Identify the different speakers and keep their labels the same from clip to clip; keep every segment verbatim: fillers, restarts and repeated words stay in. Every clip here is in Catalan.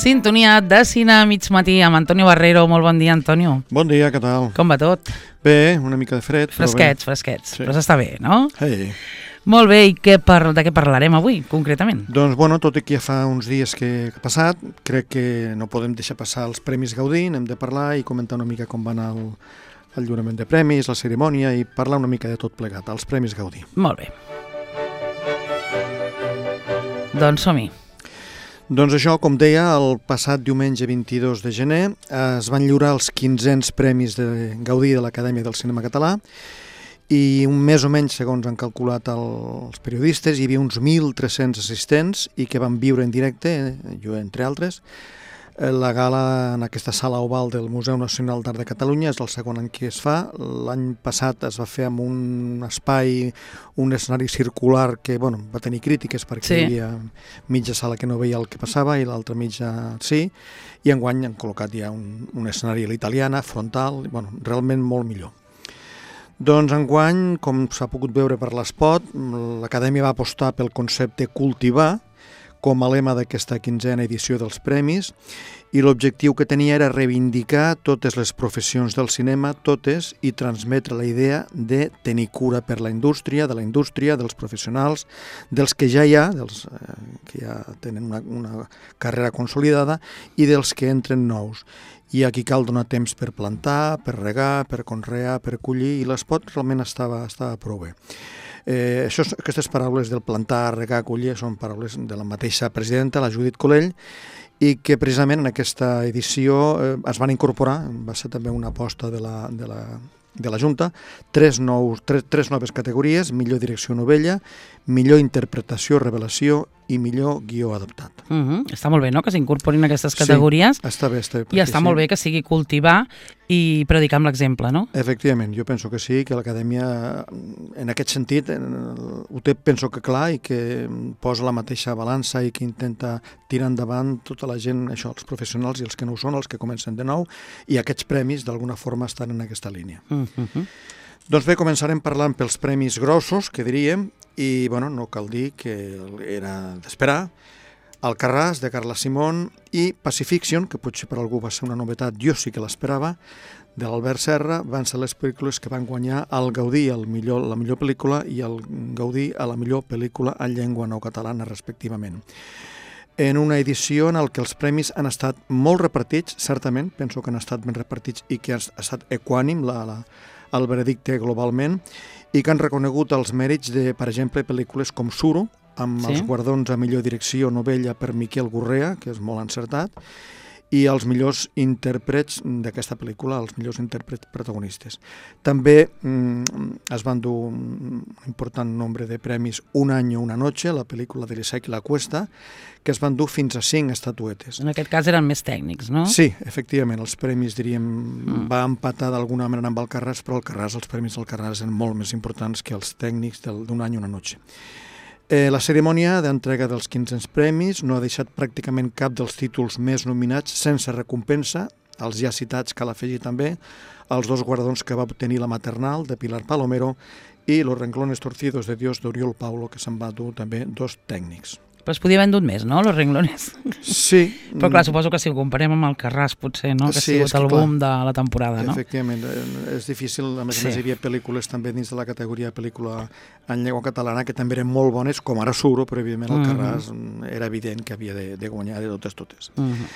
Speaker 1: Sintonia de cine a mig matí amb Antonio Barrero. Molt bon dia, Antonio.
Speaker 2: Bon dia, què tal?
Speaker 1: Com va tot?
Speaker 2: Bé, una mica de fred, però
Speaker 1: Fresquets,
Speaker 2: bé.
Speaker 1: fresquets.
Speaker 2: Sí.
Speaker 1: Però s'està bé, no?
Speaker 2: Hey.
Speaker 1: Molt bé, i què par de què parlarem avui, concretament?
Speaker 2: Doncs, bueno, tot i que ja fa uns dies que ha passat, crec que no podem deixar passar els Premis Gaudí, hem de parlar i comentar una mica com va anar el, el lliurament de premis, la cerimònia, i parlar una mica de tot plegat, els Premis Gaudí.
Speaker 1: Molt bé. Doncs som-hi.
Speaker 2: Doncs això, com deia, el passat diumenge vint-i-dos de gener es van lliurar els quinzens Premis de Gaudí de l'Acadèmia del Cinema Català i un més o menys, segons han calculat els periodistes, hi havia uns mil tres-cents assistents i que van viure en directe, jo entre altres, la gala en aquesta sala oval del Museu Nacional d'Art de Catalunya. És el segon any que es fa. L'any passat es va fer amb un espai, un escenari circular que bueno, va tenir crítiques perquè sí. Hi havia mitja sala que no veia el que passava i l'altra mitja sí, i enguany han col·locat ja un, un escenari a l'italiana, frontal, bueno, realment molt millor. Doncs enguany, com s'ha pogut veure per l'espot, l'Acadèmia va apostar pel concepte cultivar com a lema d'aquesta quinzena edició dels premis, i l'objectiu que tenia era reivindicar totes les professions del cinema, totes, i transmetre la idea de tenir cura per la indústria, de la indústria, dels professionals, dels que ja hi ha, dels eh, que ja tenen una, una carrera consolidada, i dels que entren nous. I aquí cal donar temps per plantar, per regar, per conrear, per collir, i l'espot realment estava, estava prou bé. Eh, això, aquestes paraules del plantar, regar, collir, són paraules de la mateixa presidenta, la Judit Colell, i que precisament en aquesta edició eh, es van incorporar, va ser també una aposta de la, de la, de la Junta, tres, nous, tres, tres noves categories: millor direcció novella, millor interpretació, revelació i millor guió adaptat.
Speaker 1: Uh -huh. Està molt bé, no?, que s'incorporin aquestes categories.
Speaker 2: Sí, està bé. Està bé
Speaker 1: I està sí. molt bé que sigui cultivar i predicar amb l'exemple, no?
Speaker 2: Efectivament, jo penso que sí, que l'Acadèmia en aquest sentit ho té, penso que clar, i que posa la mateixa balança i que intenta tirar endavant tota la gent, això, els professionals i els que no ho són, els que comencen de nou, i aquests premis d'alguna forma estan en aquesta línia. Uh -huh. Doncs bé, començarem parlant pels premis grossos, que diríem, i bueno, no cal dir que era d'esperar. Alcarràs, de Carla Simón, i Pacifiction, que potser per algú va ser una novetat, jo sí que l'esperava, de l'Albert Serra, van ser les pel·lícules que van guanyar el Gaudí a la millor pel·lícula i el Gaudí a la millor pel·lícula en llengua no catalana, respectivament. En una edició en què els premis han estat molt repartits, certament, penso que han estat ben repartits i que ha estat equànim la, la, el veredicte globalment, i que han reconegut els mèrits de, per exemple, pel·lícules com Suro, amb sí? els guardons a millor direcció novella per Miquel Gurrea, que és molt encertat, i els millors intèrprets d'aquesta pel·lícula, els millors intèrprets protagonistes. També mm, es van dur un important nombre de premis Un año, una noche, la pel·lícula de l'Isaac i la Cuesta, que es van dur fins a cinc estatuetes.
Speaker 1: En aquest cas eren més tècnics, no?
Speaker 2: Sí, efectivament, els premis, diríem, mm. va empatar d'alguna manera amb Alcarràs, però Alcarràs, els premis d'Alcarràs eren molt més importants que els tècnics d'Un any, una noche. Eh, la cerimònia d'entrega dels quinzens premis no ha deixat pràcticament cap dels títols més nominats sense recompensa. Els ja citats cal afegir també els dos guardons que va obtenir la Maternal, de Pilar Palomero, i Los renglones torcidos de Dios, d'Oriol Paulo, que se'n va dur també dos tècnics.
Speaker 1: Però es podia haver endut més, no?, Los renglones.
Speaker 2: Sí.
Speaker 1: Però clar, suposo que si ho comparem amb Alcarràs, potser, no?, que
Speaker 2: sí,
Speaker 1: ha sigut el boom de la temporada, no?
Speaker 2: Efectivament, és difícil. A més sí. a més, hi havia pel·lícules també dins de la categoria pel·lícula en llengua catalana que també eren molt bones, com ara Suro, però evidentment Alcarràs uh -huh. era evident que havia de, de guanyar de totes totes. Uh -huh.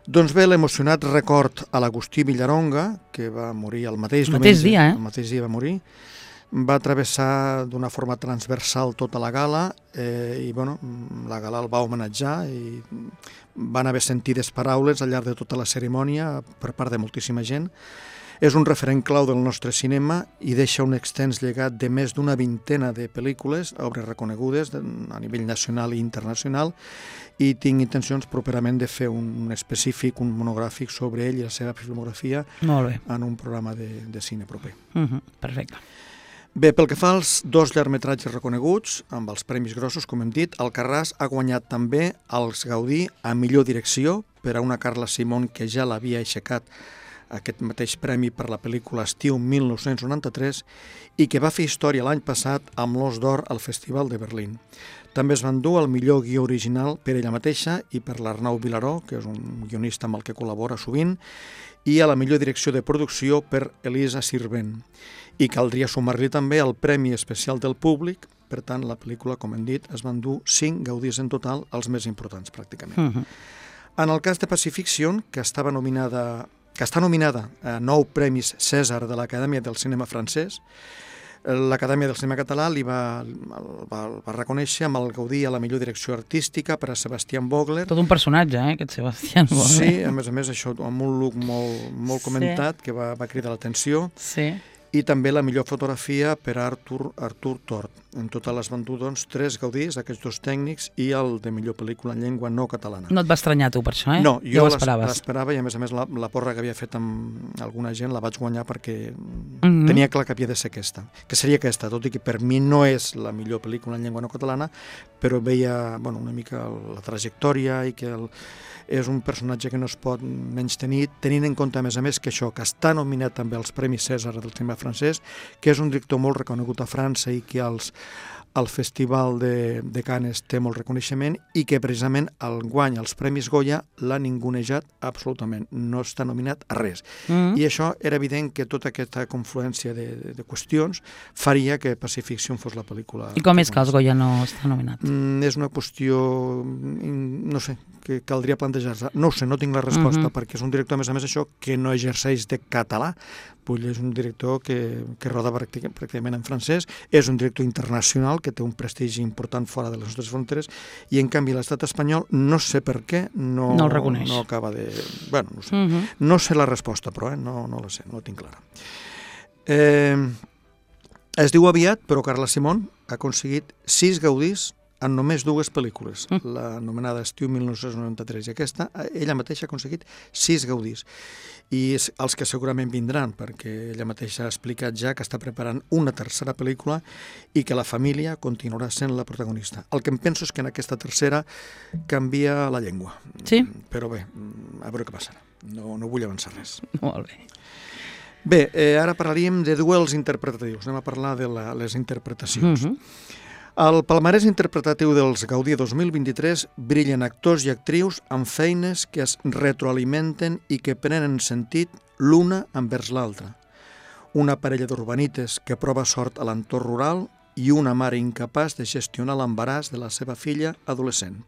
Speaker 2: Doncs bé, l'emocionat record a l'Agustí Villaronga, que va morir el mateix,
Speaker 1: el mateix
Speaker 2: diumenge,
Speaker 1: dia, eh?
Speaker 2: el mateix dia va morir, va travessar d'una forma transversal tota la gala, eh, i bueno, la gala el va homenatjar i van haver sentides paraules al llarg de tota la cerimònia per part de moltíssima gent. És un referent clau del nostre cinema i deixa un extens llegat de més d'una vintena de pel·lícules, obres reconegudes a nivell nacional i internacional, i tinc intencions properament de fer un específic, un monogràfic sobre ell i la seva filmografia en un programa de, de cine proper.
Speaker 1: Uh -huh, perfecte.
Speaker 2: Bé, pel que fa als dos llargmetratges reconeguts, amb els premis grossos, com hem dit, Alcarràs ha guanyat també els Gaudí a millor direcció per a una Carla Simón que ja l'havia aixecat aquest mateix premi per la pel·lícula Estiu mil nou-cents noranta-tres i que va fer història l'any passat amb l'Os d'Or al Festival de Berlín. També es van dur el millor guió original per ella mateixa i per l'Arnau Vilaró, que és un guionista amb el que col·labora sovint, i a la millor direcció de producció per Elisa Sirvent. I caldria sumar-li també el Premi Especial del Públic. Per tant, la pel·lícula, com hem dit, es van dur cinc gaudis en total, els més importants, pràcticament. Uh-huh. En el cas de Pacifiction, que estava nominada, que està nominada a nou premis Cèsar de l'Acadèmia del Cinema Francès, l'Acadèmia del Cinema Català li va, va, va reconèixer amb el Gaudí a la millor direcció artística per a Sebastián Vogler.
Speaker 1: Tot un personatge, eh, aquest Sebastián Vogler.
Speaker 2: Sí, a més a més, això, amb un look molt, molt comentat, sí, que va, va cridar l'atenció.
Speaker 1: Sí.
Speaker 2: I també la millor fotografia per a Artur, Artur Tort. En total es van dur, doncs, tres gaudis, aquests dos tècnics, i el de millor pel·lícula en llengua no catalana.
Speaker 1: No et va estranyar tu per això, eh?
Speaker 2: No, jo
Speaker 1: ja
Speaker 2: l'esperava i a més a més la, la porra que havia fet amb alguna gent la vaig guanyar perquè mm-hmm. tenia clar que havia de ser aquesta, que seria aquesta, tot i que per mi no és la millor pel·lícula en llengua no catalana, però veia, bueno, una mica la trajectòria i que el, és un personatge que no es pot menys tenir, tenint en compte, a més a més, que això, que està nominat també als Premis Cèsar del cinema francès, que és un director molt reconegut a França i que als, al Festival de, de Cannes té molt reconeixement i que precisament el guany als Premis Goya l'ha ningunejat absolutament, no està nominat a res. Mm-hmm. I això era evident que tota aquesta confluència de, de, de qüestions faria que Pacifiction fos la pel·lícula.
Speaker 1: I com és que els Goya no està nominat?
Speaker 2: Mm, és una qüestió, no sé, que caldria plantejar-se. No ho sé, no tinc la resposta, uh-huh. perquè és un director, a més a més, això, que no exerceix de català. Vull dir, és un director que, que roda pràcticament en francès, és un director internacional que té un prestigi important fora de les nostres fronteres, i en canvi l'estat espanyol, no sé per què, no,
Speaker 1: no el reconeix.
Speaker 2: No acaba de... Bueno, no sé.
Speaker 1: Uh-huh.
Speaker 2: No sé la resposta, però, eh? no, no la sé, no la tinc clara. Eh, es diu aviat, però Carla Simón ha aconseguit sis gaudis en només dues pel·lícules, mm. l'anomenada Estiu mil nou-cents noranta-tres, i aquesta, ella mateixa ha aconseguit sis gaudis. I els que segurament vindran, perquè ella mateixa ha explicat ja que està preparant una tercera pel·lícula i que la família continuarà sent la protagonista. El que em penso és que en aquesta tercera canvia la llengua.
Speaker 1: Sí?
Speaker 2: Però bé, a veure què passarà. No, no vull avançar res.
Speaker 1: Molt bé.
Speaker 2: Bé, eh, ara parlaríem de duels interpretatius. Anem a parlar de la, les interpretacions. Mm-hmm. Al palmarès interpretatiu dels Gaudí dos mil vint-i-tres brillen actors i actrius amb feines que es retroalimenten i que prenen sentit l'una envers l'altra. Una parella d'urbanites que prova sort a l'entorn rural i una mare incapaç de gestionar l'embaràs de la seva filla adolescent.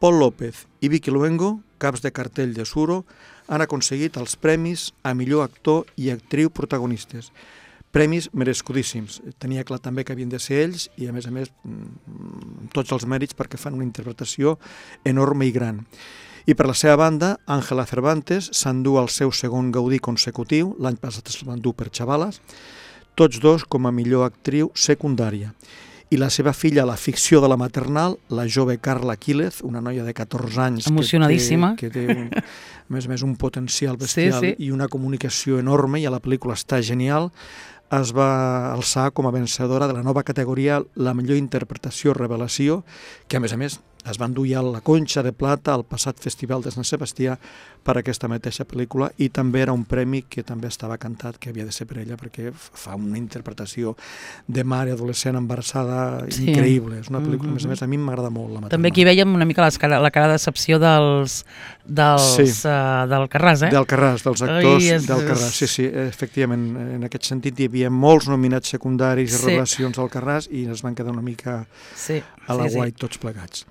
Speaker 2: Pol López i Vicky Luengo, caps de cartell de Suro, han aconseguit els premis a millor actor i actriu protagonistes. Premis merescudíssims. Tenia clar també que havien de ser ells i, a més a més, tots els mèrits perquè fan una interpretació enorme i gran. I per la seva banda, Ángela Cervantes s'endú el seu segon Gaudí consecutiu, l'any passat es l'endú per Chavalas, tots dos com a millor actriu secundària. I la seva filla a la ficció de la maternal, la jove Carla Quílez, una noia de catorze anys...
Speaker 1: Emocionadíssima.
Speaker 2: Que té, que té un, a més a més, un potencial bestial,
Speaker 1: sí, sí.
Speaker 2: i una comunicació enorme, i a la pel·lícula està genial, es va alçar com a vencedora de la nova categoria la millor interpretació revelació, que a més a més es va endur ja la Conxa de Plata al passat Festival de Sant Sebastià per aquesta mateixa pel·lícula, i també era un premi que també estava cantat que havia de ser per ella, perquè fa una interpretació de mare adolescent embarassada sí. increïble. És una pel·lícula, mm-hmm. a més a més, a mi m'agrada molt la maternal.
Speaker 1: També aquí veiem una mica cara, la cara de decepció dels, dels, sí. uh, del Carràs, eh?
Speaker 2: Del Carràs, dels actors
Speaker 1: Ai, és,
Speaker 2: del Carràs. Sí, sí, efectivament, en aquest sentit hi havia molts nominats secundaris i sí. revelacions al Carràs i es van quedar una mica
Speaker 1: sí.
Speaker 2: a la
Speaker 1: sí,
Speaker 2: guai
Speaker 1: sí.
Speaker 2: tots plegats.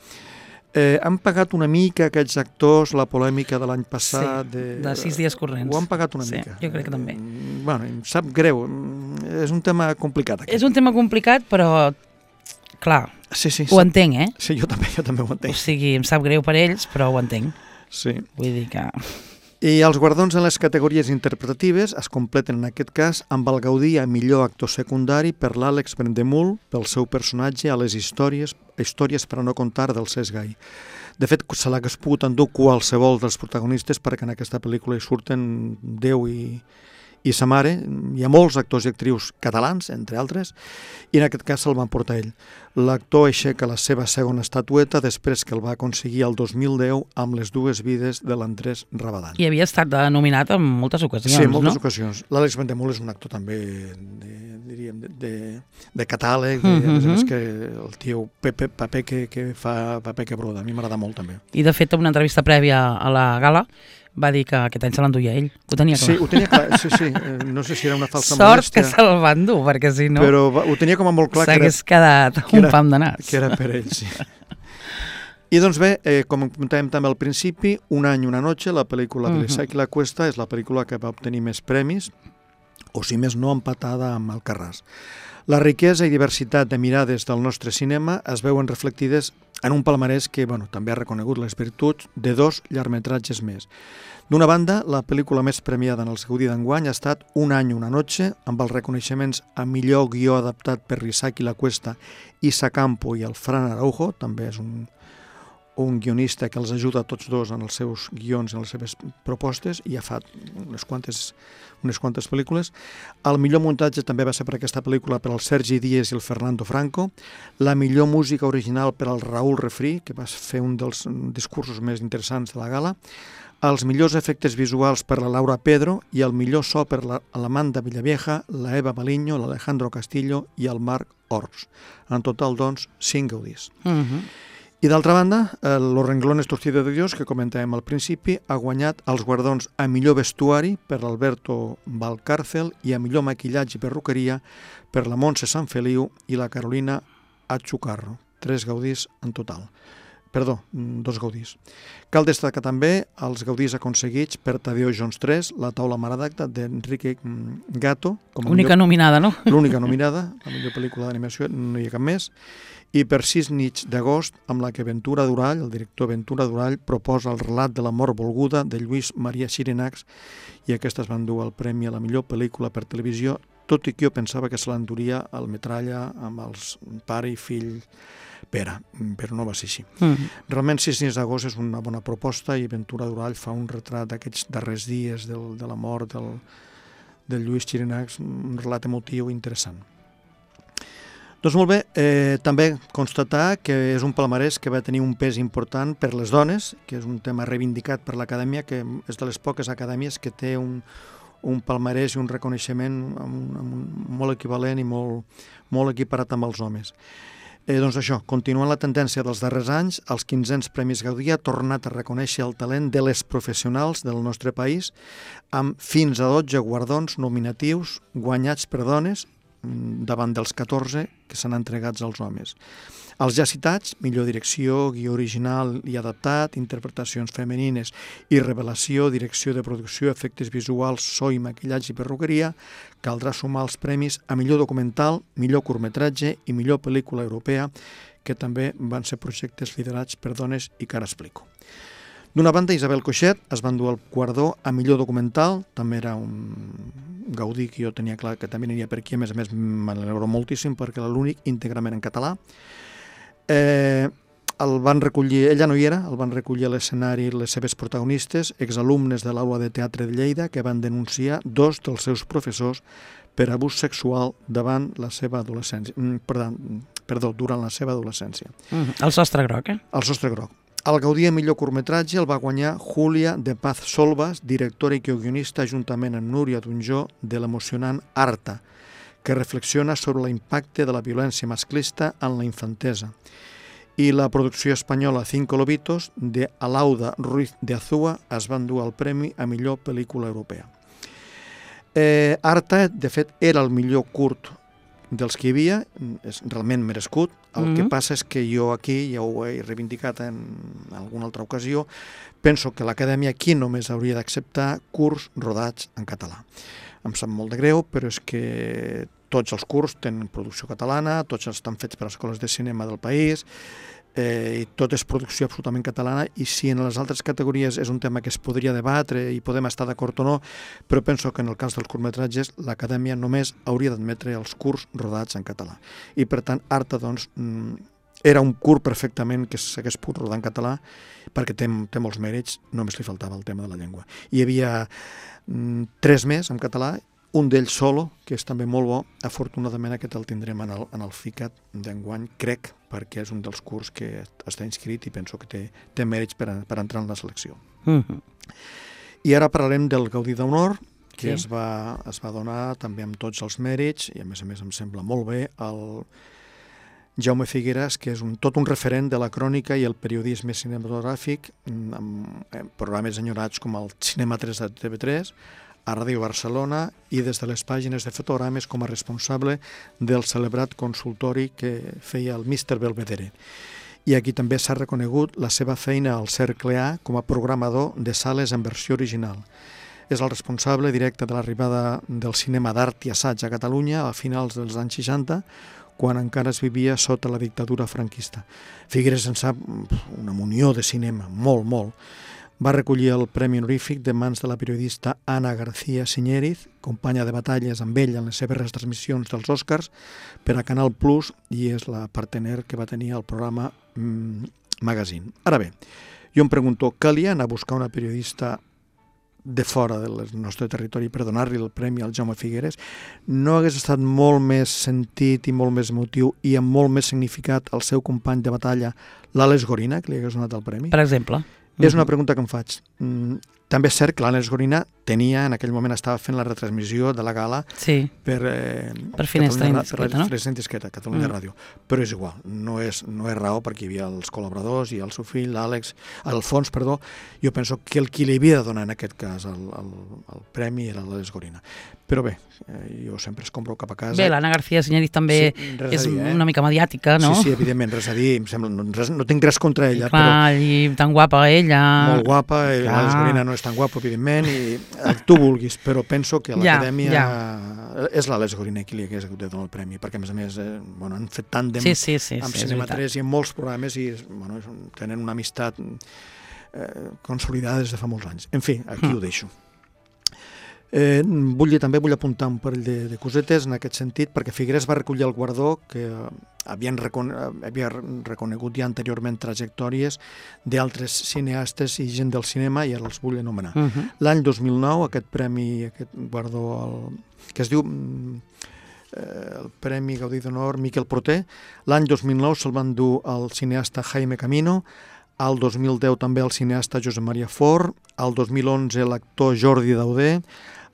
Speaker 2: Eh, han pagat una mica aquests actors la polèmica de l'any passat?
Speaker 1: Sí, de, de sis dies corrents.
Speaker 2: Ho han pagat una
Speaker 1: sí,
Speaker 2: mica.
Speaker 1: Jo crec que també.
Speaker 2: Eh, bueno, em sap greu, és un tema complicat. Aquest.
Speaker 1: És un tema complicat, però, clar,
Speaker 2: sí, sí,
Speaker 1: ho
Speaker 2: sap...
Speaker 1: entenc, eh?
Speaker 2: Sí, jo també, jo també ho entenc.
Speaker 1: O sigui, em sap greu per ells, però ho entenc.
Speaker 2: Sí.
Speaker 1: Vull dir que...
Speaker 2: I els guardons en les categories interpretatives es completen en aquest cas amb el Gaudí a millor actor secundari per l'Àlex Brendemul pel seu personatge a les històries, històries per a no contar del Cesc Gai. De fet, se l'hagués pogut endur qualsevol dels protagonistes perquè en aquesta pel·lícula hi surten deu i, i sa mare. Hi ha molts actors i actrius catalans, entre altres, i en aquest cas se'l van portar ell. L'actor aixeca la seva segona estatueta després que el va aconseguir el dos mil deu amb Les dues vides de l'Andrés Rabadán.
Speaker 1: I havia estat nominat en moltes ocasions, no?
Speaker 2: Sí, en moltes no? ocasions. L'Àlex Vendemol és un actor també, de, diríem, de, de, de catàleg, de, mm -hmm. a més a més que el tio Pepe, paper que, que fa paper que broda. A mi m'agrada molt també.
Speaker 1: I de fet, en una entrevista prèvia a la gala, va dir que aquest any se l'enduia ell. Ho tenia clar.
Speaker 2: Sí, ho tenia clar. Sí, sí. No sé si era una falsa
Speaker 1: Sort
Speaker 2: modèstia.
Speaker 1: Sort que se'l va endur, perquè si no...
Speaker 2: Però va, ho tenia com a molt clar que era...
Speaker 1: S'hagués quedat un
Speaker 2: era,
Speaker 1: pam de nas.
Speaker 2: Que era per ell, sí. I doncs bé, eh, com comentàvem també al principi, Un any, una noche, la pel·lícula de l'Isaac i la Cuesta, és la pel·lícula que va obtenir més premis, o si més no, empatada amb Alcarràs. La riquesa i diversitat de mirades del nostre cinema es veuen reflectides en un palmarès que bueno, també ha reconegut les virtuts de dos llargmetratges més. D'una banda, la pel·lícula més premiada en el Gaudí d'enguany ha estat Un any, una noche, amb els reconeixements a millor guió adaptat per l'Isaac i la Cuesta, Isa Campo i el Fran Araujo, també és un, un guionista que els ajuda a tots dos en els seus guions, en les seves propostes, i ha fet unes quantes, unes quantes pel·lícules. El millor muntatge també va ser per aquesta pel·lícula per al Sergi Díez i el Fernando Franco, la millor música original per al Raúl Refrí, que va fer un dels discursos més interessants de la gala, els millors efectes visuals per la Laura Pedro i el millor so per la, l'Amanda Villavieja, la Eva Baliño, l'Alejandro Castillo i el Marc Ors. En total, doncs, cinc gaudís. Uh -huh. I d'altra banda, Los renglones torcidos de Dios, que comentàvem al principi, ha guanyat els guardons a millor vestuari per l'Alberto Valcárcel i a millor maquillatge i perruqueria per la Montse Sanfeliu i la Carolina Achucarro. Tres gaudís en total. Perdó, dos gaudís. Cal destacar també els gaudís aconseguits per Tadeo Jones tres, La taula maradacta, d'Enrique Gatto.
Speaker 1: Única nominada, no?
Speaker 2: L'única nominada, la millor pel·lícula d'animació, no hi ha cap més. I per Sis nits d'agost, amb la que Ventura Durall, el director Ventura Durall, proposa el relat de la mort volguda de Lluís Maria Xirinacs, i aquestes van dur el premi a la millor pel·lícula per televisió, tot i que jo pensava que se l'enduria el Metralla amb els pare i fill Pere, però no va ser així. Mm. Realment, Sis nits d'agost és una bona proposta i Ventura Durall fa un retrat d'aquests darrers dies del, de la mort del, del Lluís Xirinacs, un relat emotiu interessant. Doncs molt bé, eh, també constatar que és un palmarès que va tenir un pes important per les dones, que és un tema reivindicat per l'Acadèmia, que és de les poques acadèmies que té un, un palmarès i un reconeixement amb un, amb un, molt equivalent i molt, molt equiparat amb els homes. Eh, doncs això, continuant la tendència dels darrers anys, els quinzens Premis Gaudí ha tornat a reconèixer el talent de les professionals del nostre país amb fins a dotze guardons nominatius guanyats per dones davant dels catorze que s'han entregats als homes. Els ja citats, millor direcció, guió original i adaptat, interpretacions femenines i revelació, direcció de producció, efectes visuals, so i maquillatge i perruqueria, caldrà sumar els premis a millor documental, millor curtmetratge i millor pel·lícula europea, que també van ser projectes liderats per dones i que ara explico. D'una banda, Isabel Coixet es va endur el guardó a millor documental, també era un gaudí que jo tenia clar que també aniria per aquí, a més a més m'alegro moltíssim perquè era l'únic íntegrament en català. Eh, el van recollir, ella no hi era, el van recollir a l'escenari les seves protagonistes, exalumnes de l'Aula de Teatre de Lleida, que van denunciar dos dels seus professors per abús sexual davant la seva adolescència, perdó, perdó durant la seva adolescència.
Speaker 1: Mm, el sostre groc, eh?
Speaker 2: El sostre groc. El Gaudí a millor curtmetratge el va guanyar Júlia de Paz Solvas, directora i guionista juntament amb Núria Dunjó de l'emocionant Arta, que reflexiona sobre l'impacte de la violència masclista en la infantesa. I la producció espanyola Cinco Lobitos de Alauda Ruiz de Azúa es va endur el premi a millor pel·lícula europea. Eh, Arta, de fet, era el millor curt dels que hi havia, és realment merescut. El mm-hmm. que passa és que jo aquí, ja ho he reivindicat en alguna altra ocasió, penso que l'Acadèmia aquí només hauria d'acceptar curts rodats en català. Em sap molt de greu, però és que tots els curts tenen producció catalana, tots estan fets per escoles de cinema del país, eh, i tot és producció absolutament catalana, i si en les altres categories és un tema que es podria debatre i podem estar d'acord o no, però penso que en el cas dels curtmetratges l'Acadèmia només hauria d'admetre els curts rodats en català. I per tant, Arta, doncs, era un curt perfectament que s'hagués pogut rodar en català, perquè té, té molts mèrits, només li faltava el tema de la llengua. Hi havia mm, tres més en català, un d'ells solo, que és també molt bo. Afortunadament aquest el tindrem en el, en el FICAT d'enguany, crec, perquè és un dels curs que està inscrit i penso que té, té mèrits per, a, per entrar en la selecció. Mm-hmm. I ara parlarem del Gaudí d'Honor, que sí. es, va, es va donar també amb tots els mèrits, i a més a més em sembla molt bé, el Jaume Figueras, que és un, tot un referent de la crònica i el periodisme cinematogràfic, amb programes enyorats com el Cinema tres de T V tres, a Ràdio Barcelona i des de les pàgines de fotogrames com a responsable del celebrat consultori que feia el míster Belvedere. I aquí també s'ha reconegut la seva feina al Cercle A com a programador de sales en versió original. És el responsable directe de l'arribada del cinema d'art i assaig a Catalunya a finals dels anys seixanta, quan encara es vivia sota la dictadura franquista. Figueres en sap una munió de cinema, molt, molt. Va recollir el Premi Honorífic de mans de la periodista Ana García Siñériz, companya de batalles amb ell en les seves retransmissions dels Oscars per a Canal Plus, i és la partener que va tenir el programa mm, Magazine. Ara bé, jo em pregunto, calia anar a buscar una periodista de fora del nostre territori per donar-li el premi al Jaume Figueres? No hagués estat molt més sentit i molt més emotiu i amb molt més significat el seu company de batalla, l'Àlex Gorina, que li hagués donat el premi?
Speaker 1: Per exemple.
Speaker 2: És una pregunta que em faig. Mm, també és cert que l'Àlex Gorina tenia, en aquell moment estava fent la retransmissió de la gala
Speaker 1: sí.
Speaker 2: per, eh,
Speaker 1: per Finestra
Speaker 2: Indiscreta,
Speaker 1: no?
Speaker 2: Per Finestra Indiscreta, Catalunya mm. Ràdio. Però és igual, no és, no és raó, perquè hi havia els col·laboradors i el seu fill, l'Àlex, Alfons, perdó. Jo penso que el qui li havia de donar en aquest cas el, el, el premi era l'Àlex Gorina. Però bé, eh, jo sempre es compro cap a casa.
Speaker 1: Bé, l'Anna García Siñériz també sí, és dir, eh? una mica mediàtica, no?
Speaker 2: Sí, sí, evidentment, res a dir. Em sembla, no, res, no tinc res contra ella.
Speaker 1: Clar,
Speaker 2: però
Speaker 1: i tan guapa ella.
Speaker 2: Molt guapa, l'Àlex Gorina no és tan guapo, evidentment, i el tu vulguis, però penso que l'Acadèmia ja, ja. és l'Àlex Gorina qui li hagués hagut de donar el premi, perquè a més a més eh, bueno, han fet tàndem
Speaker 1: sí, sí, sí,
Speaker 2: amb
Speaker 1: sí,
Speaker 2: Cinema tres i en molts programes i bueno, tenen una amistat eh, consolidada des de fa molts anys. En fi, aquí mm. ho deixo. Eh, vull dir, també vull apuntar un parell de, de cosetes en aquest sentit, perquè Figueres va recollir el guardó que havien recone havia reconegut ja anteriorment trajectòries d'altres cineastes i gent del cinema, i ara els vull anomenar. Uh -huh. L'any dos mil nou, aquest premi, aquest guardó, el, que es diu eh, el Premi Gaudí d'Honor Miquel Proté, l'any dos mil nou se'l van dur al cineasta Jaime Camino, al dos mil deu també el cineasta Josep Maria Fort, al dos mil onze l'actor Jordi Dauder,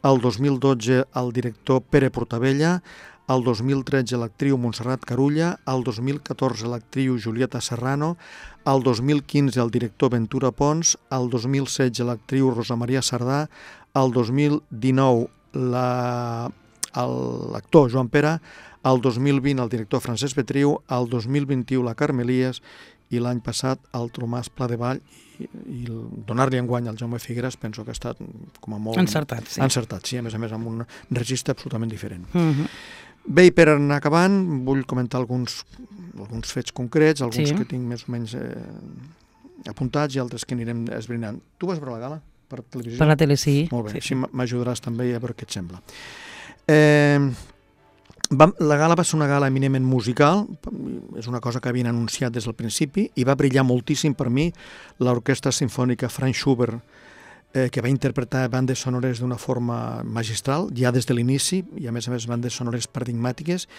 Speaker 2: al dos mil dotze el director Pere Portabella, al dos mil tretze l'actriu Montserrat Carulla, al dos mil catorze l'actriu Julieta Serrano, al dos mil quinze el director Ventura Pons, al dos mil setze l'actriu Rosa Maria Sardà, al dos mil dinou la, l'actor Joan Pera, al dos mil vint el director Francesc Betriu, al dos mil vint-i-u la Carme Elias i l'any passat el Tomàs Pladevall, i, i donar-li enguany al Jaume Figueres penso que ha estat com a molt
Speaker 1: encertat, sí.
Speaker 2: encertat, sí, a més a més amb un registre absolutament diferent.
Speaker 1: Uh-huh.
Speaker 2: Bé, i per anar acabant vull comentar alguns, alguns fets concrets, alguns sí. que tinc més o menys eh, apuntats i altres que anirem esbrinant. Tu vas veure la gala per televisió?
Speaker 1: Per la tele, sí.
Speaker 2: Molt bé,
Speaker 1: sí,
Speaker 2: així sí. m'ajudaràs també a veure què et sembla. Eh, va, la gala va ser una gala eminentment musical, és una cosa que havien anunciat des del principi, i va brillar moltíssim per mi l'Orquestra Simfònica Franz Schubert, eh, que va interpretar bandes sonores d'una forma magistral, ja des de l'inici, i a més a més bandes sonores paradigmàtiques,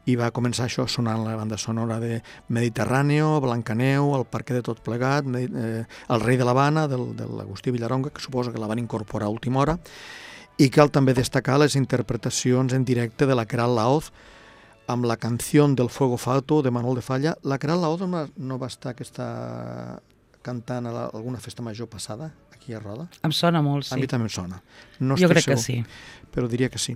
Speaker 2: i va començar això sonant la banda sonora de Mediterráneo, Blancaneu, El Parque de tot plegat, eh, El Rei de l'Havana, del, de l'Agustí Villaronga, que suposa que la van incorporar a última hora, i cal també destacar les interpretacions en directe de la Queralt Laoz amb la Canció del Fuego Fatuo de Manuel de Falla. La Queralt Laoz no va estar aquesta cantant a la, alguna festa major passada aquí a Roda?
Speaker 1: Em sona molt, sí.
Speaker 2: A mi també em sona. No
Speaker 1: jo crec
Speaker 2: segur,
Speaker 1: que sí.
Speaker 2: Però diria que sí.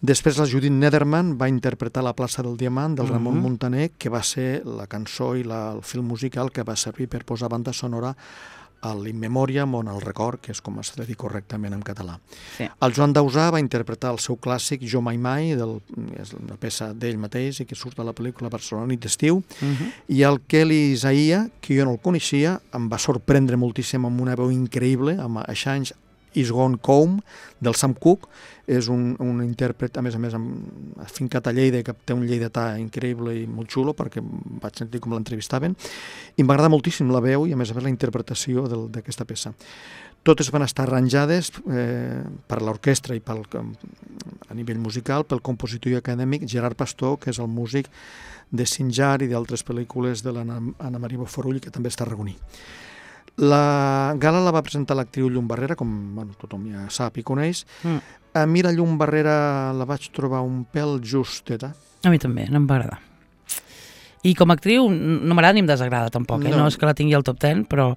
Speaker 2: Després la Judit Nederman va interpretar La plaça del Diamant del Ramon uh-huh. Muntaner, que va ser la cançó i la, el film musical que va servir per posar banda sonora a l'In Memoriam o en el record, que és com es diu correctament en català. Sí. El Joan Dausà va interpretar el seu clàssic Jo mai mai, del, és una peça d'ell mateix i que surt a la pel·lícula Barcelona nit d'estiu, uh-huh. i el Kelly Isaia, que jo no el coneixia, em va sorprendre moltíssim amb una veu increïble, amb Aixanys Is Gone Home, del Sam Cooke. És un, un intèrpret, a més a més, amb, afincat a Lleida, que té un lleidatà increïble i molt xulo, perquè vaig sentir com l'entrevistaven, i m'agrada moltíssim la veu i, a més a més, la interpretació d'aquesta peça. Totes van estar arranjades eh, per l'orquestra i pel, a nivell musical pel compositor i acadèmic Gerard Pastor, que és el músic de Sinjar i d'altres pel·lícules de l'Anna Maria Bofarull, que també està arragoní. La gala la va presentar l'actriu Llum Barrera, com bueno, tothom ja sap i coneix. Mm. A mi la Llum Barrera la vaig trobar un pèl justeta.
Speaker 1: A mi també, no em va agradar. I com a actriu no m'agrada ni em desagrada tampoc, eh? no. no és que la tingui al top deu, però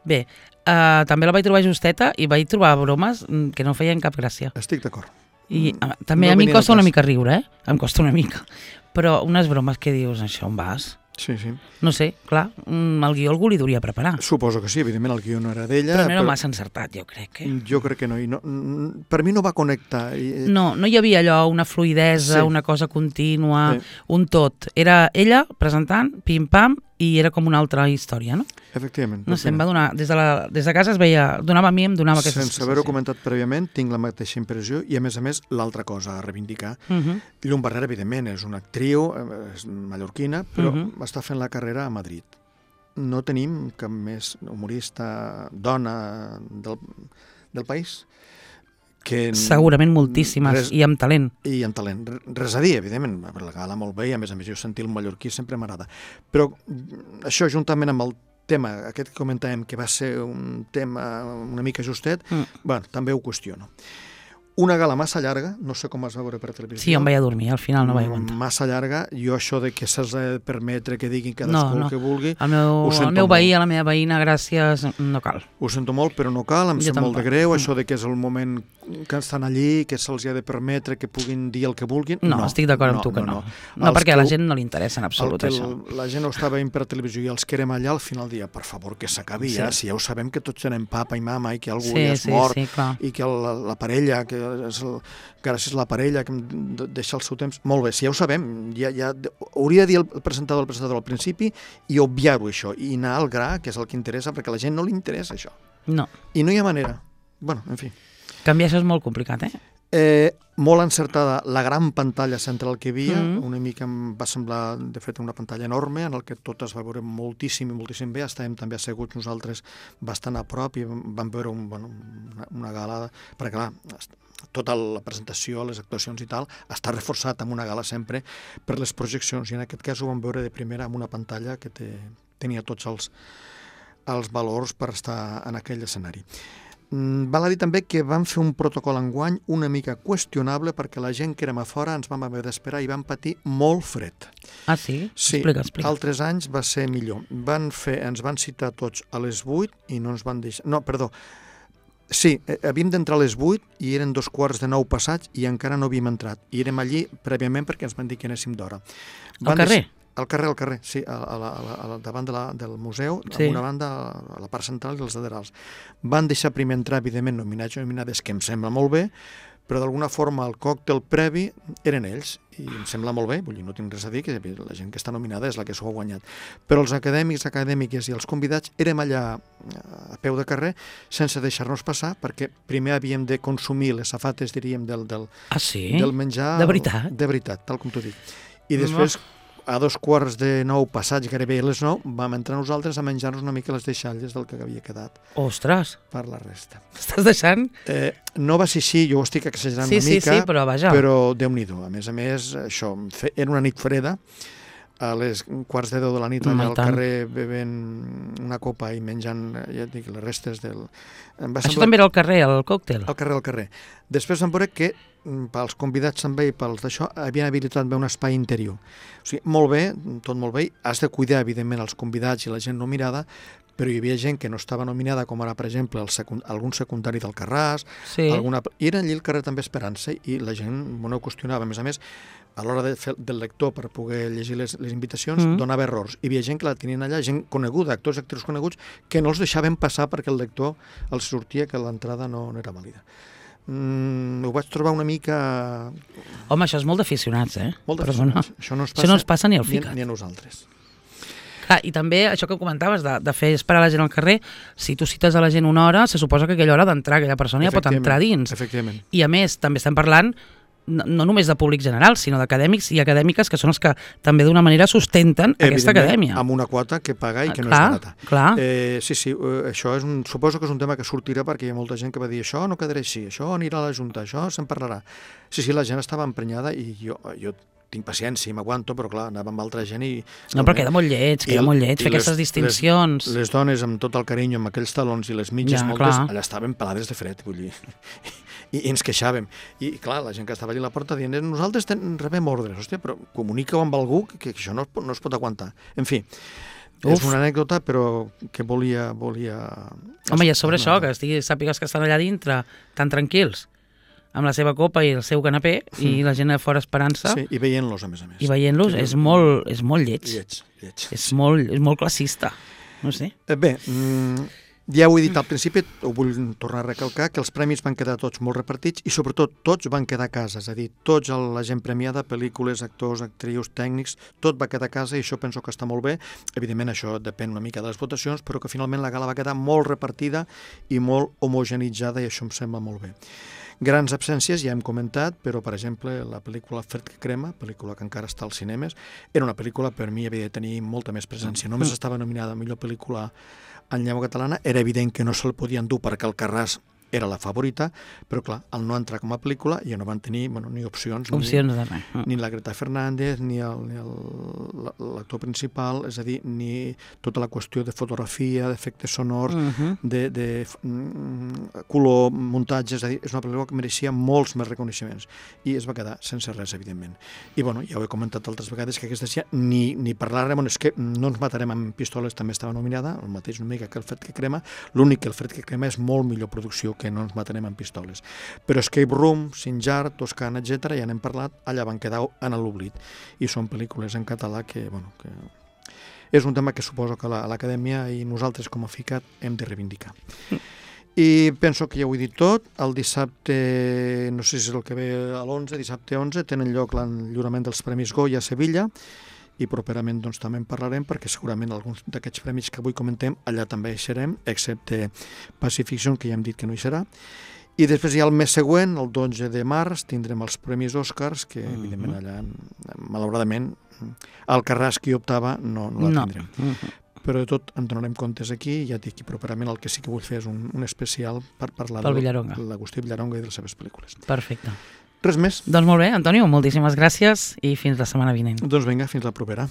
Speaker 1: bé, uh, també la vaig trobar justeta i vaig trobar bromes que no feien cap gràcia.
Speaker 2: Estic d'acord.
Speaker 1: I uh, també no a mi em costa una mica riure, eh? Em costa una mica. Però unes bromes que dius, això on vas?
Speaker 2: Sí, sí.
Speaker 1: No sé, clar, el guió algú li duria preparar.
Speaker 2: Suposo que sí, evidentment el guió no era d'ella.
Speaker 1: Però no era però... massa encertat, jo crec. Eh?
Speaker 2: Jo crec que no, i no. Per mi no va connectar. I...
Speaker 1: No, no hi havia allò, una fluïdesa, sí. una cosa contínua, sí. un tot. Era ella presentant, pim-pam, i era com una altra història, no?
Speaker 2: Efectivament.
Speaker 1: No sé, em va donar, des de, la, des de casa es veia, donava a mi, em donava aquesta
Speaker 2: sensació. Sense haver-ho comentat prèviament, tinc la mateixa impressió i, a més a més, l'altra cosa a reivindicar. Uh -huh. Llum Barrera, evidentment, és una actriu, és mallorquina, però uh -huh. està fent la carrera a Madrid. No tenim cap més humorista dona del, del país que...
Speaker 1: Segurament moltíssimes, res, i amb talent.
Speaker 2: I amb talent. Res a dir, evidentment, la gala molt bé, i a més a més jo sentir el mallorquí sempre m'agrada. Però això, juntament amb el tema, aquest que comentàvem, que va ser un tema una mica justet, mm. bueno, també ho qüestiono. Una gala massa llarga, no sé com es va veure per televisió.
Speaker 1: Sí, em vaig a dormir, al final no vaig aguantar.
Speaker 2: Massa llarga, jo això de que s'has de permetre que diguin cadascú
Speaker 1: no, no.
Speaker 2: el que vulgui...
Speaker 1: El meu, el meu veí, a la meva veïna, gràcies, no cal.
Speaker 2: Ho sento molt, però no cal, em sembla molt de greu, mm. això de que és el moment que estan allí, que se'ls ha de permetre que puguin dir el que vulguin.
Speaker 1: No, no estic d'acord
Speaker 2: no,
Speaker 1: amb tu que no.
Speaker 2: No,
Speaker 1: no. no perquè a la gent no li interessa en absolut
Speaker 2: el
Speaker 1: això.
Speaker 2: La gent ho estava veient per televisió i els que érem allà al final dia, per favor, que s'acabi sí. ja, si ja ho sabem que tots tenem papa i mama i que algú
Speaker 1: sí,
Speaker 2: ja és
Speaker 1: sí,
Speaker 2: mort
Speaker 1: sí,
Speaker 2: i que la, la parella, que és el, gràcies a la parella que deixa el seu temps, molt bé, si ja ho sabem, ja, ja, hauria de dir el presentador el presentador al principi i obviar-ho això, i anar al gra, que és el que interessa, perquè a la gent no li interessa això.
Speaker 1: No.
Speaker 2: I no hi ha manera. Bueno, en fi.
Speaker 1: Canviar això és molt complicat, eh?
Speaker 2: Eh, molt encertada la gran pantalla central que hi havia, mm. una mica em va semblar, de fet, una pantalla enorme en el que tot es va veure moltíssim i moltíssim bé, estàvem també asseguts nosaltres bastant a prop i vam veure un, bueno, una, una gala, perquè clar, tota la presentació, les actuacions i tal, està reforçat amb una gala sempre per les projeccions, i en aquest cas ho vam veure de primera amb una pantalla que té, tenia tots els, els valors per estar en aquell escenari. Val a dir també que vam fer un protocol enguany una mica qüestionable perquè la gent que érem a fora ens vam haver d'esperar i vam patir molt fred.
Speaker 1: Ah, sí?
Speaker 2: Sí,
Speaker 1: explica, explica.
Speaker 2: Altres anys va ser millor. Van fer, ens van citar tots a les vuit i no ens van deixar... No, perdó, sí, havíem d'entrar a les vuit i eren dos quarts de nou passats i encara no havíem entrat. I érem allí prèviament perquè ens van dir que anéssim d'hora.
Speaker 1: Al carrer?
Speaker 2: Deixar... Al carrer, al carrer, sí, a, a la, a la, davant de la, del museu, sí. Amb una banda a la part central i els laterals. Van deixar primer entrar, evidentment, nominats i nominades, que em sembla molt bé, però d'alguna forma el còctel previ eren ells, i em sembla molt bé, vull dir, no tinc res a dir, que la gent que està nominada és la que s'ho ha guanyat. Però els acadèmics, acadèmiques i els convidats érem allà a peu de carrer sense deixar-nos passar, perquè primer havíem de consumir les safates, diríem, del, del,
Speaker 1: ah, sí?
Speaker 2: del menjar...
Speaker 1: De veritat?
Speaker 2: De veritat, tal com t'ho dic. I després... No. A dos quarts de nou passats, gairebé a les nou, vam entrar nosaltres a menjar-nos una mica les deixalles del que havia quedat.
Speaker 1: Ostres!
Speaker 2: Per la resta.
Speaker 1: Estàs deixant?
Speaker 2: Eh, no va ser així, jo ho estic exagerant
Speaker 1: sí,
Speaker 2: una mica,
Speaker 1: sí, sí, però, vaja.
Speaker 2: però Déu-n'hi-do. A més a més, això, era una nit freda, a les quarts de deu de la nit allà al carrer bevent una copa i menjant, ja et dic, les restes del...
Speaker 1: Això semblar... també era al carrer, el còctel?
Speaker 2: Al carrer, al carrer. Després vam veure que pels convidats també i pels d'això havien habilitat bé un espai interior. O sigui, molt bé, tot molt bé, has de cuidar evidentment els convidats i la gent nominada, però hi havia gent que no estava nominada, com ara, per exemple, el secund... algun secundari del Carràs, sí. alguna... i era allí al carrer també esperant-se i la gent no ho qüestionava. A més a més, a l'hora de fer del lector per poder llegir les, les invitacions, mm. donava errors. Hi havia gent que la tenien allà, gent coneguda, actors i actrius coneguts, que no els deixaven passar perquè el lector els sortia que l'entrada no, no era vàlida. Mm, ho vaig trobar una mica...
Speaker 1: Home, això és molt d'aficionats, eh?
Speaker 2: Molt d'aficionats. Això no,
Speaker 1: això no ens passa ni al ficat.
Speaker 2: Ni, ni a nosaltres.
Speaker 1: Clar, i també això que comentaves de, de fer esperar la gent al carrer, si tu cites a la gent una hora, se suposa que aquella hora d'entrar aquella persona ja pot entrar dins.
Speaker 2: Efectivament.
Speaker 1: I a més, també estem parlant no, no només de públic general, sinó d'acadèmics i acadèmiques que són els que també d'una manera sustenten aquesta acadèmia.
Speaker 2: Amb una quota que paga i que no
Speaker 1: clar,
Speaker 2: és barata.
Speaker 1: Clar.
Speaker 2: Eh, sí, sí, eh, això és un, suposo que és un tema que sortirà perquè hi ha molta gent que va dir això no quedarà així, això anirà a la Junta, això se'n parlarà. Sí, sí, la gent estava emprenyada i jo, jo tinc paciència i m'aguanto, però clar, anava amb altra gent i...
Speaker 1: No, però queda molt lleig, queda molt lleig fer les, aquestes distincions.
Speaker 2: Les, les dones amb tot el carinyo, amb aquells talons i les mitges ja, moltes, clar. Allà estaven pelades de fred, vull dir, i, i ens queixàvem. I clar, la gent que estava allà a la porta dient, nosaltres ten, rebem ordres, hòstia, però comunica-ho amb algú que, que això no, no es pot aguantar. En fi, Uf. és una anècdota, però que volia... volia...
Speaker 1: Home, i a sobre no, això, que estigui, sàpigues que estan allà dintre tan tranquils, amb la seva copa i el seu canapé, mm. i la gent a fora esperant-se.
Speaker 2: Sí, i veient-los, a més a més.
Speaker 1: I veient-los és molt, és molt lleig.
Speaker 2: Lleig, lleig.
Speaker 1: És, molt, és molt classista, no sé.
Speaker 2: Bé, ja ho he dit al principi, ho vull tornar a recalcar, que els premis van quedar tots molt repartits i sobretot tots van quedar a casa, és a dir, tots la gent premiada, pel·lícules, actors, actrius, tècnics, tot va quedar a casa i això penso que està molt bé. Evidentment això depèn una mica de les votacions, però que finalment la gala va quedar molt repartida i molt homogenitzada i això em sembla molt bé. Grans absències, ja hem comentat, però, per exemple, la pel·lícula Fred que crema, pel·lícula que encara està als cinemes, era una pel·lícula, per mi, havia de tenir molta més presència. Només estava nominada a millor pel·lícula en llengua catalana, era evident que no se'l podien dur perquè el Carràs era la favorita, però clar, al no entrar com a pel·lícula ja no van tenir bueno, ni opcions,
Speaker 1: opcions
Speaker 2: ni,
Speaker 1: de
Speaker 2: ni la Greta Fernández, ni l'actor principal, és a dir, ni tota la qüestió de fotografia, d'efectes sonors, uh -huh. de, de mm, color, muntatge, és a dir, és una pel·lícula que mereixia molts més reconeixements i es va quedar sense res, evidentment. I bueno, ja ho he comentat altres vegades que aquesta ja ni, ni parlar-ne, bueno, és que no ens matarem amb pistoles, també estava nominada, el mateix una mica que el Fred que crema, l'únic que el Fred que crema és molt millor producció que no ens matarem amb pistoles. Però Escape Room, Sinjar, Toscana, etcètera, ja n'hem parlat, allà van quedar en l'oblit. I són pel·lícules en català que, bueno, que és un tema que suposo que l'Acadèmia i nosaltres com a FICAT hem de reivindicar. I penso que ja ho he dit tot. El dissabte, no sé si és el que ve a l'onze, dissabte onze, tenen lloc l'enllurament dels Premis Goya a Sevilla, i properament doncs, també en parlarem perquè segurament alguns d'aquests premis que avui comentem allà també hi serem, excepte Pacific Zone, que ja hem dit que no hi serà. I després ja el mes següent, el dotze de març, tindrem els Premis Oscars, que uh-huh. evidentment allà, malauradament, el Carràs que hi optava no, no la tindrem. No. Uh-huh. Però de tot en donarem comptes aquí, i ja dic que properament el que sí que vull fer és un, un especial per parlar de l'Agustí Villaronga i de les seves pel·lícules.
Speaker 1: Perfecte.
Speaker 2: Res més.
Speaker 1: Doncs molt bé, Antonio, moltíssimes gràcies i fins la setmana vinent.
Speaker 2: Doncs vinga, fins la propera.